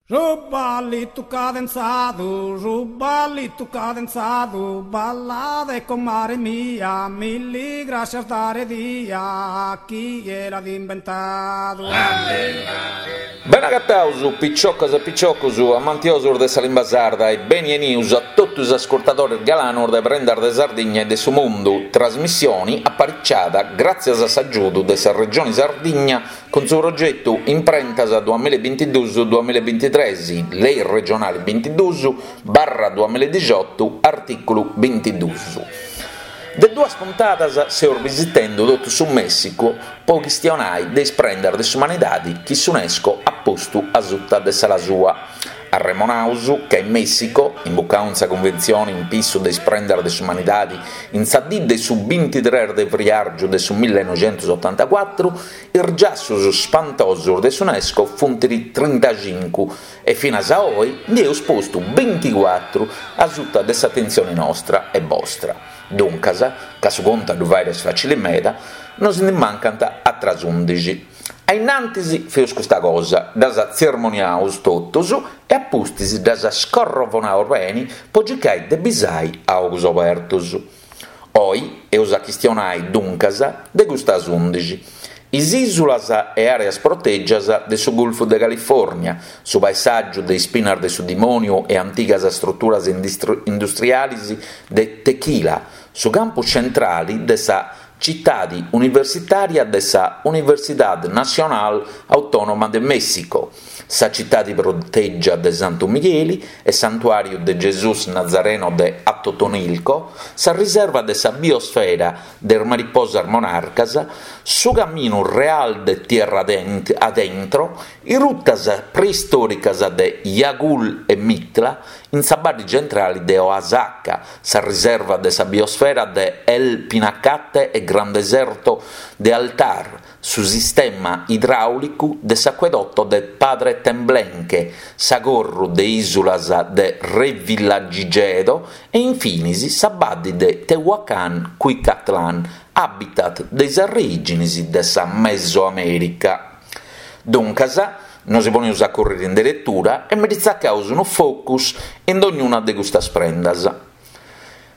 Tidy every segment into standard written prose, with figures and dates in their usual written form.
Su ballitu cadenzadu, su ballitu cadenzadu, ballade comare mia, milli grascias dare dia, chie l'at imbentadu. Bene agataus, piciocas e piciocus, amantiosus de sa limba sarda e beni 'enius a totu is ascurtadores galanus de Prendas de Sardigna e de su Mundu, trasmissioni apariciada gràtzias a s'agiudu de sa Regioni Sardigna Cun su progetu Imprentas duamilla e bintiduus duamilla e bintitres, Lei regionali bintiduus barra duamilla e dixiotu, artìculu bintiduus. De duas puntadas seus bisitendu totu su Mèssicu po chistionai de is prendas de s'umanidadi chi s'Unesco at postu asuta de s'ala sua. Arremonaus ca in Mèssico, imbucau in sa cunventzioni in pissu de is prendas de s'umanidadi in sa dì de su bintitres de friàrgiu de su millenoixentusotantacuatru, is giassus spantosus de s'Unesco funt trintacincu e finas a oi ndi eus postu binticuatru asuta de s'atentzioni nostra e bostra. Duncas, ca su contu a ddu fàiri est fàcili meda, nos ndi mancant atras undixi. A innantis feus custa cosa, ddas tzermoniaus totus e a pustis ddas scorrovonaus beni po circai de bisai a ogus obertus. Oi eus a chistionai, duncas, de custas undixi, is ìsulas e àreas protègias de su Gulfu de Califòrnia, su paesàgiu de ispinas de su dimòniu e antigas struturas industrialis de Tequila, su campus centrali de sa Citadi universitària de sa Universidad Nacional Autónoma de México, sa citadi protègia de Santu Migheli e Santuàriu de Gesùs Nazareno de Atotonilco, sa riserva de sa biosfera de is mariposas monarcas, su Caminu Real de Tierra Adentro, is rutas preistòricas de Yagul e Mitla in sa baddi centrali de Oaxaca, sa riserva de sa biosfera de El Pinacate e Gran Deserto de Altar, su sistema idràulicu de s'acuedotto de Padre Temblenque, s'agorru de ìsulas de Revillagigedo e in finis sa baddi de Tehuacán-Cuicatlán, habitat de is arreìginis de sa Mesoamèrica. Duncas, Nosi poneus a curriri in deretura e mi ndi tzacaus unu focus in dognuna de custas prendas.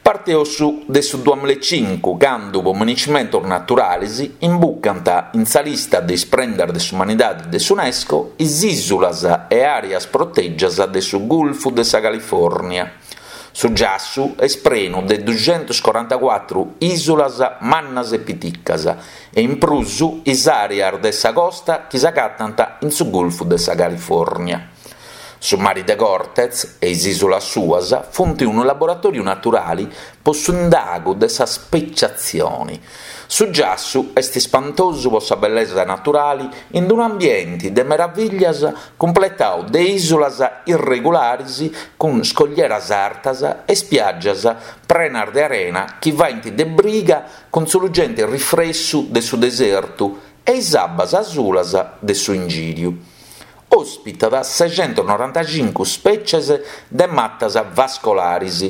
Parteus de su duamillaecincu candu po miniscimentus naturalis imbucant in sa lista de is prendas de s'umanidadi de s'Unesco is ìsulas e àreas protègias de su Gulfu de sa Califòrnia. Su giassu est prenu de duxentuscorantacuatru ìsulas mannas e piticas e in prus is àreas de sa costa chi s'agatant in su Gulfu de sa Califòrnia. Su Mari de Cortez e is ìsulas suas funt unu laboratòriu naturali po s'indagu de sa speciatzioni. Su giassu est ispantosu po sa bellesa naturali in unu ambienti de meravìllias cumpletau de ìsulas irregularis cun scoglieras artas e spiàgias prenas de arena chi faint de briga cun su lugenti rifressu de su desertu e is abbas asulas de su ingìriu. Òspitat sexentusnorantacincu spècies de matas vascolaris,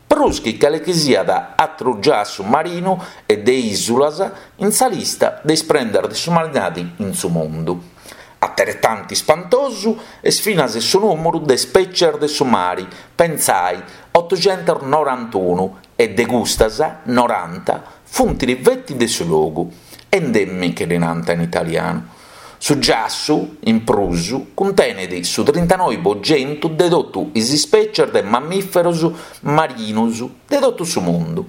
prus chi calechisiat atru giassu marinu e de ìsulas in sa lista de is prendas de s'umanidadi in su mundu. Ateretanti ispantosu est finas su nùmuru de spècies de su mari, pentzai, otuxentusnorantunu, e de custas, noranta funt feti de su logu, endemiche ddi nant in italianu. Su giassu, in prus, cuntenet su trintanoi po centu de totu is ispècies de mammìferos marinus de totu su mundu.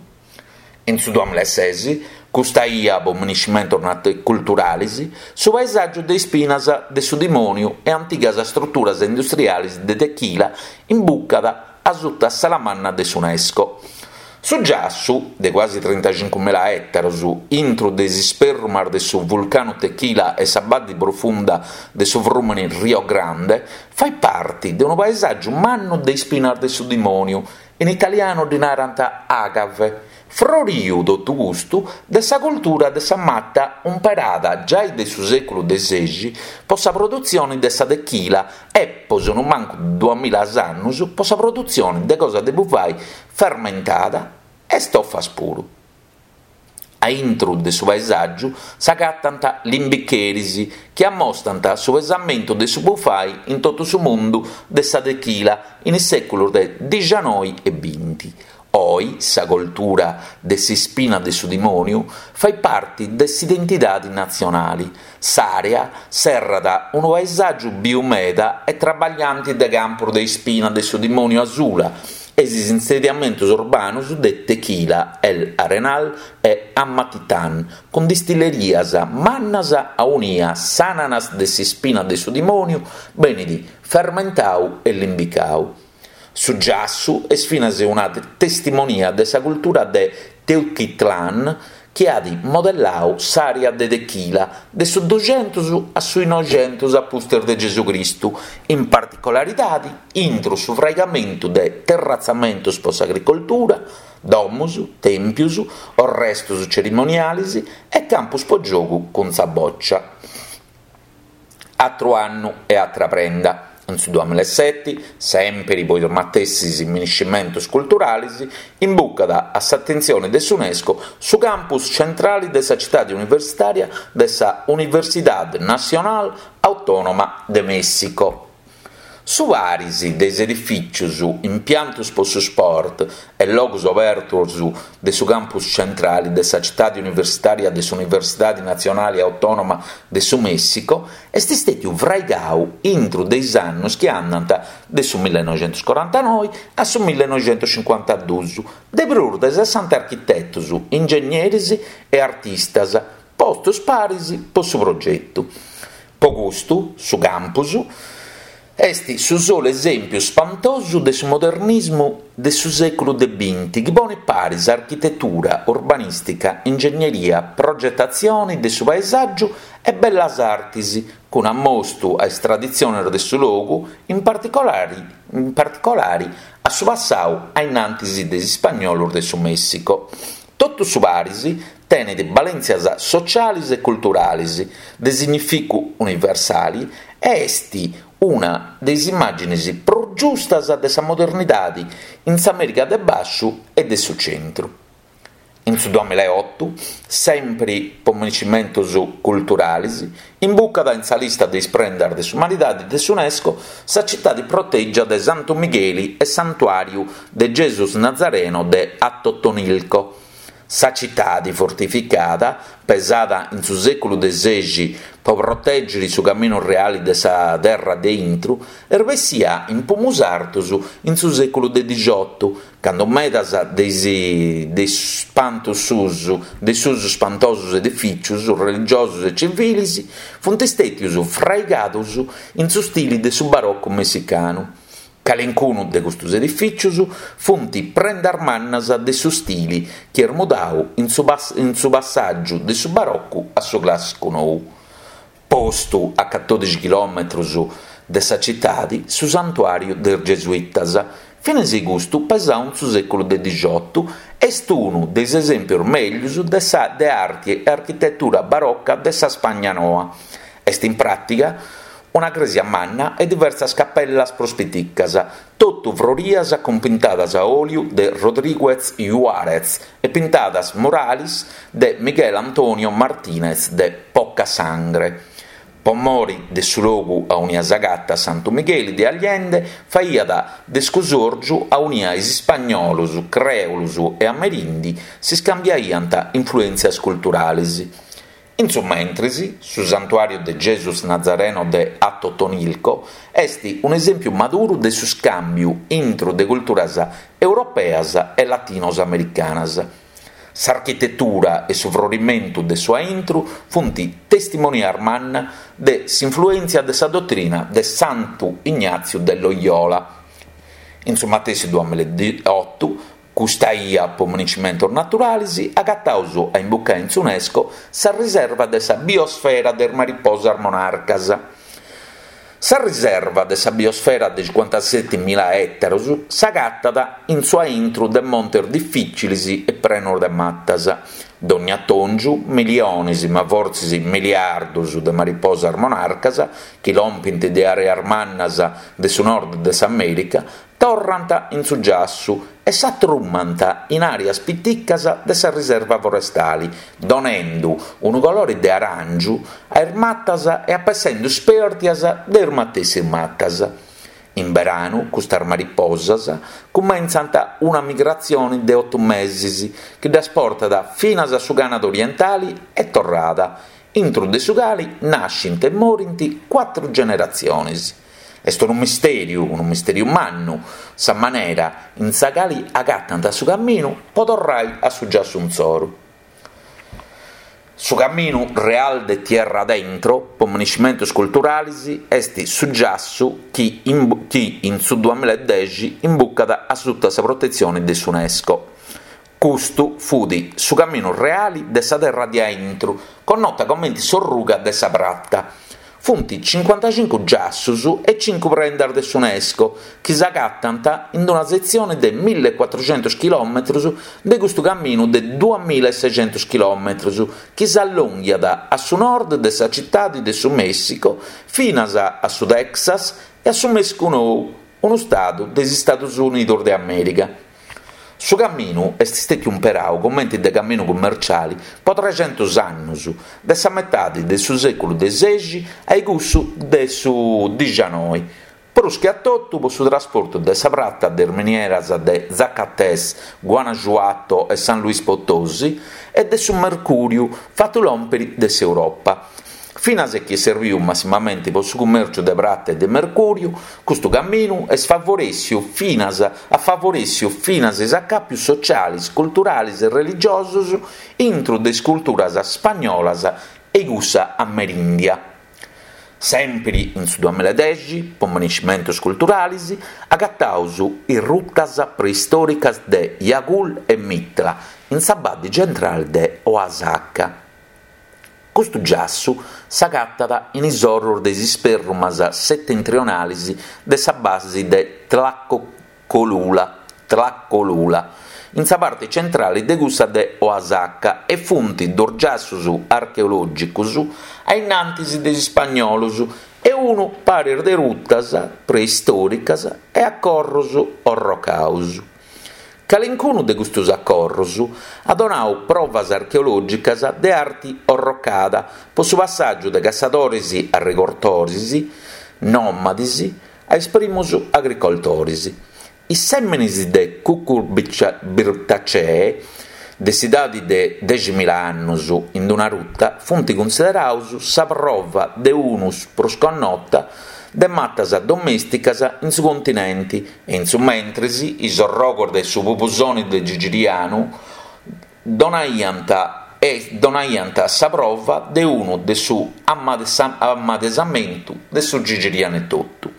In su duamillaeses, custa ia po miniscimentos culturales, su paesàgiu de ispinas de su dimòniu e antigas struturas industriales de Tequila imbucat asuta s'ala manna de s'Unesco. Su giassu, de cuasi trintacincumila ètaros, intru de is isperrumas de su vulcanu Tequila e sa baddi profunda de su frùmene Rio Grande, fait parti de unu paesàgiu mannu de ispinas de su dimòniu, in italianu ddi narant agave, Froriu totu custu de sa cultura de sa mata umperada giai de su sèculu de sexi po sa produtzioni de sa tequila e, po sonumancu duamilla annus, po sa produtzioni de cosa de bufai fermentada e stofas puru. A intru de su paesàgiu s'agatant limbicheris chi ammostant su pesamentu de su bufai in totu su mundu de sa techila in is sèculos de dixanoi e binti. Oi sa coltura de s'ispina de su dimòniu fait parti de s'identidadi natzionali. S'àrea serrat unu paesàgiu biu meda e traballanti de campus de ispina de su dimòniu asula e is insediamentus urbanus de Tequila, El Arenal e Amatitán, cun distillerias mannas aunia s'ànanas de s'ispina de su dimòniu benit fermentau e limbicau. Su giassu est finas una testimonia de sa cultura de Teuchitlán chi at modellau s'àrea de Tequila de su duxentus a su noixentus a pustis de Gesù Cristu, in particularidadi intru su fraigamentu de terratzamentus po s'agricoltura, domus, tèmpius, orrestus cerimonialis e campus po giogu cun sa bòcia. Atru annu e atra prenda. In su duamilaseti, sèmpiri po is matessis miniscimentus culturalis, imbucat a s'atentzioni de s'Unesco su campus centrali de sa citadi universitària de sa Universidad Nacional Autónoma de México. Su paris de is edifìtzios, impiantos po su sport e logos obertos de su campus centrale de sa citade universitària de s'Universidade Natzionale Autònoma de su Mèssico est istètiu fraigadu intro de is annos chi andant de su millenoixentoscorantanoe a su millenoixentoscincuantaduus de prus de sessanta architetos, ingegneris e artistas postos paris po su progetu. Po custu, su campus est su solu esèmpiu spantosu de su modernismu de su sèculu de binti chi ponet paris architetura, urbanìstica, ingegneria, progetatzione de su paesàgiu e bellas artis, cun ammostu a is traditziones de su logu, in particolari in particolari a su passau a innantis de is ispagnolos de su Mèssico. Totu su paris tenet balèntzias sociales e culturales de significu universale e est una de is immàgines prus giustas de sa modernidade in s'Amèrica de Bàsciu e de su Centru. In su duamilaeotu, sèmpiri po miniscimentos culturales, imbucat in sa lista de is prendas de s'umanidade de s'Unesco sa citade protègia de Santu Migheli e Santuàriu de Gesus Nazareno de Atotonilco. Sa citade fortificada, pesada in su sèculu de sexi po protègere su caminu reale de sa terra de intru, est bessia in pumus artos in su sèculu de dixiotu, cando medas de is de is spantos suus de is suus spantosos edifìtzios religiosos e civiles funt istètios fraigados in su stili de su barocu messicanu. Calincunu de custos edifìtzios funt prendas mannas de su stili chi est mudadu in su in su passàgiu de su barocu a su clàssicu nou. Postu a catòdixi chilòmetros de sa citade su santuàriu de is Gesuitas, finas custu pesadu in su sèculu de dixiotu, est unu de is esèmpios mègius de sa de arti e architetura baroca de sa Spagna noa. Est in pràtiga una crèsia manna e diversas capellas prus piticas, totu frorias cun pintadas a òliu de Rodríguez Juárez e pintadas murales de Miguel Antonio Martínez de Pocasangre. Po mori de su logu aunia s'agatat Santu Migheli de Allende faiat de scusòrgiu aunia is ispagnolos, crèolos e amerindi s'iscambiaiant influèntzias culturales. In su mentris, su santuàriu de Gesus Nazareno de Atotonilco est un'esèmpiu maduru de su scàmbiu intru de culturas europeas e latinos-americanas. S'architetura e su frorimentu de su aintru funt testimonias manna de s'influèntzia de sa dotrina de Santu Ignàtziu de Loyola. In su matessi duamilaotu, Custa ia po municimentos naturales agataus a imbucai in s'Unesco sa riserva de sa biosfera de is mariposas monarcas. Sa riserva de sa biosfera de cincuantasetimila ètaros s'agatat in su aintru de montes difìciles e prenos de matas. Dònnia atòngiu, milionis, ma fortzis miliardus de mariposas monarcas, chi lompint de àreas mannas de su nord de s'Amèrica, torrant in su giassu e s'atrumant in àreas piticas de sa riserva forestali, donendu unu colori de aràngiu a is matas e apessendu spèrdias de is matessis matas. In beranu custas mariposas cumentzant una migratzioni de otu mesis chi ddas portat finas a su Canada orientali e torrada, intru de su cali nascint e morint cuatru generatzionis. Est unu mistèriu, unu mistèriu mannu, sa manera in sa cali agatant su caminu po torrai a su giassu insoru. Su Caminu Real de Tierra Adentro, po miniscimentus culturalis, est su giassu chi chi in su duamiladexi imbucat a suta sa protetzioni de s'Unesco. Custu fut su caminu reali de sa terra de aintru, connota comenti s'Orruga de sa Prata. Funt cincuantacincu giassus e cincu prendas de s'Unesco chi s'agatant in una setzioni de millecuatruxentus chilòmetrus de custu caminu de duamilasexentus chilòmetrus chi s'allonghiat a su nord de sa citadi de su Mèssico finas a su Texas e a su Mèssicu Nou, unu stadu de is Istadus Unidus de Amèrica. Su caminu est stètiu imperau comenti de caminu cummerciali po trexentus annus, de sa metadi de su sèculu de sexi a cussu de su dixianoi, prus che a totu po su trasportu de sa prata de is minieras de Zacatecas, Guanajuato e San Luis Potosí e de su mercùriu fatu lòmpiri de s'Europa. Finas e chi est serbiu massimamenti po su cumèrciu de prata e de mercùriu, custu caminu est favorèssiu finas at favorèssiu finas is acàpius socialis, culturalis e religiosos intru de is culturas spagnolas e cussa amerìndia. Sèmpiri in su duamiladexi, po miniscimentus culturalis, agataus is rutas preistòricas de Yagul e Mitla in sa baddi centrali de Oaxaca. Custu giassu s'agatat in is orrus de is isperrumas setentrionalis de sa basi de Tlacolula, Tlacolula, in sa parte centrali de cussa de Oaxaca e funt dus giassus archeològicus a innantis de is ispagnolos e unu paris de rutas preistòricas e acorros orrocaus. Calincunu de custus acorrus at donau provas archeològicas de arti orrocada po su passàgiu de cassadoris arregortoris nòmadis a is primus agricoltoris. Is sèminis de Cucurbitacee de s'idadi de deximila annus in una ruta funt cunsideraus sa prova de unus prus connota de matas domèsticas in su continenti E in su mentris is orrogos de su pubusoni de Gigirianu donaiant e donaiant sa prova de unu de su ammadesamentu de su Gigirianu etotu.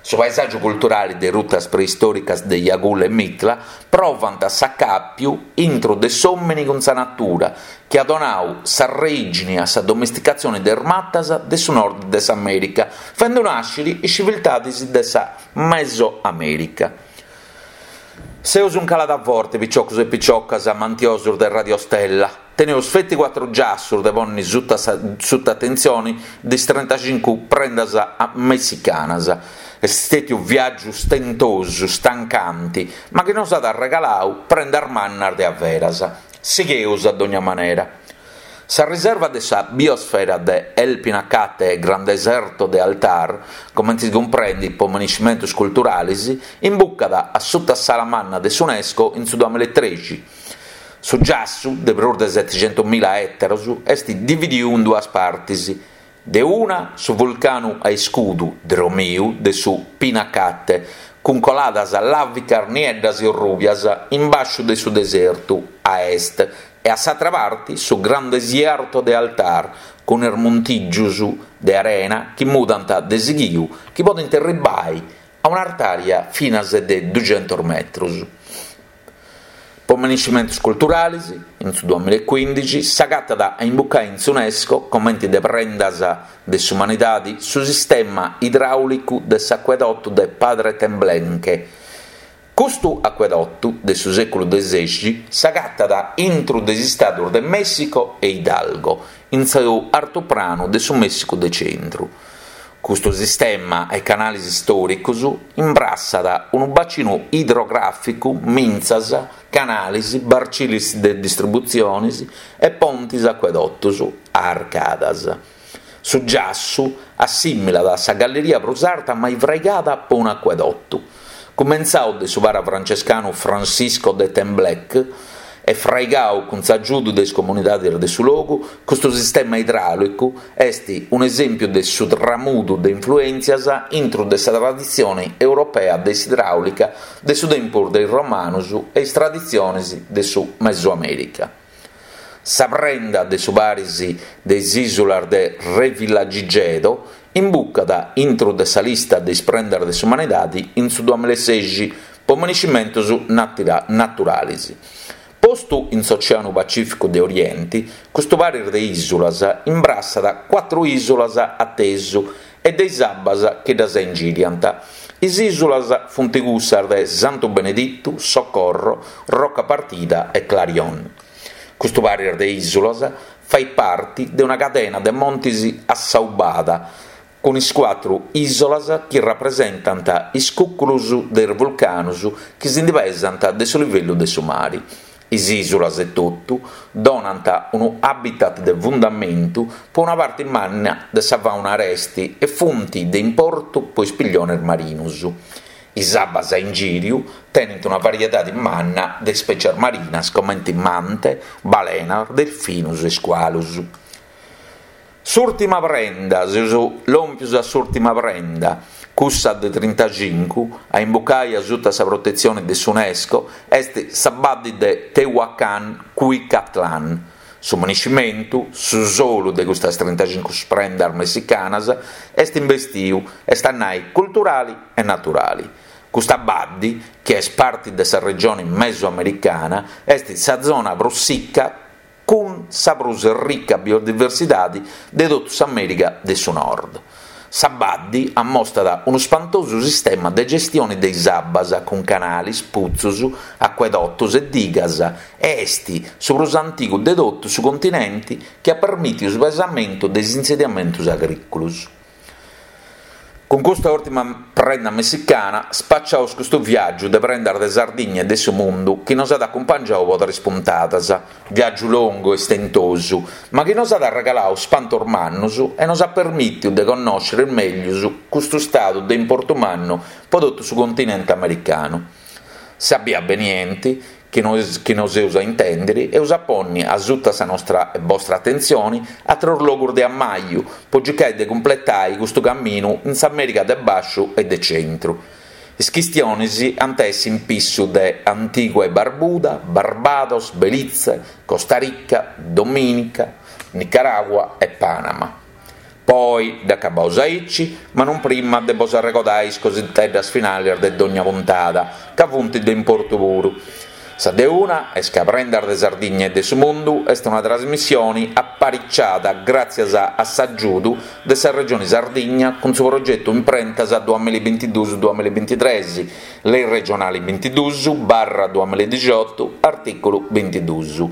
Su paesàgiu culturali de is rutas preistòricas de Yagul e Mitla provant s'acàpiu intru de s'òmini cun sa natura chi at donau s'arrègini a sa domesticatzioni de is matas de su nord de s'Amèrica, fendu nàsciri is civiltadis de sa Mesoamèrica. Seus in calada forte, piciocus e piciocas amantiosus de Radio Stella. Teneus feti cuatru giassus de ponni suta suta atentzioni de is trentacincu prendas messicanas. Est stetiu viàgiu stentosu, stancanti, ma chi nos at arregalau prendas mannas de averas. Sigheus a dogna manera. Sa riserva de sa biosfera de El Pinacate e Gran Deserto de Altar, comente si cumprendit po miniscimentus culturalis, imbucat a suta s'ala manna de s'Unesco in su duamilaetrexi. Su giassu, de prus de seticentumila ètaros, est dividiu in duas partis, de una su vulcanu a iscudu dromiu de su Pinacate, cun coladas làvicas nieddas e orrùbias in bàsciu de su desertu, a est, e a s'atra parti su Gran Desierto de Altar, cun is montìgius de arena chi mudant de sighiu chi podint erribai a un'artària finas de duxentus metrus. Po miniscimentus culturalis, in su duamilaecuindixi s'agatat a imbucai in s'Unesco, comenti de prendas de s'umanidadi, su sistema idràulicu de s'acuedotu de Padre Temblenque. Custu acuedotu de su sèculu de sexi s'agatat intru de is istadus de Mèssico e Hidalgo, in su artupranu de su Mèssicu de centru. Custu sistema 'e canalis istòricos imbrassat unu bacinu idrogràficu, mintzas, canalis, barcilis de distributziones e pontes acuedotos a arcadas. Su giassu assimilat a sa galleria prus arta mai fraigada po un'acuedotu. Cumentzau de su para francescanu Francisco de Tembleque e fraigau cun s'agiudu de is comunidades de su logu, custu sistema idràulicu est un'esèmpiu de su tramudu de influèntzias intru de sa traditzione europea de s'idràulica de su tempus de is romanos e is traditziones de su Mesoamèrica. Sa prenda de su paris de is ìsulas de Revillagigedo imbucat intru de sa lista de is prendas de s'umanidade in su duamilasexi po maniscimentos naturales. Postu in s'Oceanu Pacìficu de Orienti, custu paris de ìsulas imbrassat cuatru ìsulas a tesu e de is abbas chi ddas ingìriant. Is ìsulas funt cussas de Santu Beneditu, Socorro, Roca Partida e Clarion. Custu paris de ìsulas fait parti de una cadena de montis assaubada, cun is cuatru ìsolas chi rapresentant is cùcurus de is vulcanus chi si ndi pesant de su livellu de su mari. Is ìsulas etotu donant unu habitat de fundamentu po una parti manna de sa fàuna aresti e funt de importu po is pilliones marinus. Is abbas a ingìriu tenint una variedadi manna de ispècias marinas comente mante, balenas, delfinus e iscualus. S'ùrtima prenda, seus lòmpius a s'ùrtima prenda, cussa de trintacincu, a imbucai a suta sa protetzioni de s'Unesco, est sa baddi de Tehuacán Cuicatlán. Su maniscimentu, su solu de custas trintacincu prendas messicanas, est imbestiu, est a nai culturali e naturali. Custa baddi, chi est parti de sa regioni mesoamericana, est sa zona prus sicca cun sa prus rica biodiversidadi de totu s'Amèrica de su Nord. Sa baddi ammostat unu spantosu sistema de gestioni de is abbas cun canalis, putzus, acuedotos e digas e est su prus antigu de totu su continenti chi at permìtiu su pesamentu de is insediamentus agrìculos. Cun custa ùrtima prenda messicana spaciaus custu viàgiu de prendas de Sardigna e de su mundu chi nos at acumpangiau po tres puntadas, viàgiu longu e istentosu, ma chi nos at arregalau spantos mannus e nos at permìtiu de connòscere mèglius custu stadu de importu mannu po totu su continente americanu. Sa bia benienti chi nos chi nos eus a intèndiri, eus a ponni asuta sa nostra e bostra atentzioni atrus logus de ammaju po circai de cumpletai custu caminu in s'Amèrica de Bàsciu e de Centru. Is chistionis ant a essi in pissu de Antigua e Barbuda, Barbados, Belize, Costa Rica, Dominica, Nicaragua e Panama. Po oi dd'acabaus aici, ma non prima de bos arregodai is cositeddas finalis de dogna puntada, ca funt de importu puru. Sa de una est ca Prendas de Sardigna e de su Mundu est una trasmissioni apariciada gràtzias a s'agiudu de sa Regioni Sardigna cun su progetu Imprentas duamillabintiduus duamillabintitres, Lei regionali bintiduus barra duamilladixiotu, artìculu bintiduus.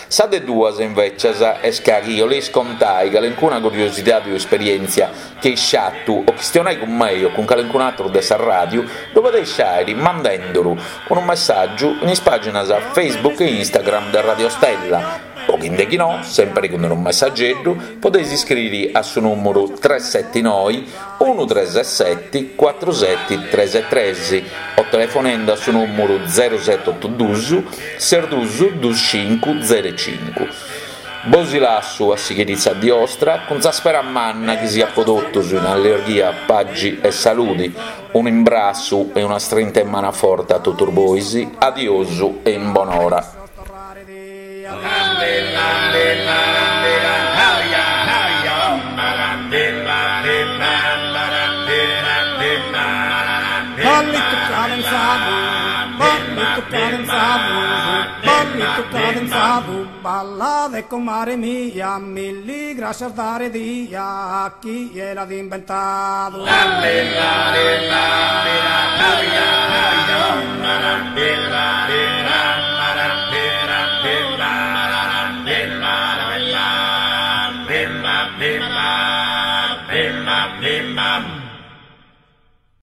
Sa de duas, invècias, est ca chi 'oleis contai calencuna curiosidadi o esperièntzia chi eis fatu o chistionai cun mei o cun calencun'atru de sa ràdiu, ddu podeis fàiri mandenduru unu messàgiu in is pàginas Facebook e Instagram de Radio Stella o chi nde chi no, sèmpiri cun unu messageddu, podeis iscriri a su nùmuru tres seti noi unu tres seti cuatru seti tres tres o telefonendu a su nùmuru zeru seti otu dus ses dus dus cincu zeru cincu. Bosi lassu a sighiri sa dì 'ostra cun sa spera manna chi siat po totus in allirghia, pagi e saludi. Unu imbrassu e una strinta 'e manu a forte a totus bois. Adiosu e in bonora. Ballittu cadenzadu. Ballitu cadenzadu, ballitu cadenzadu, ballade comare mia, milli grascias dare dia a chie l'at imbentadu.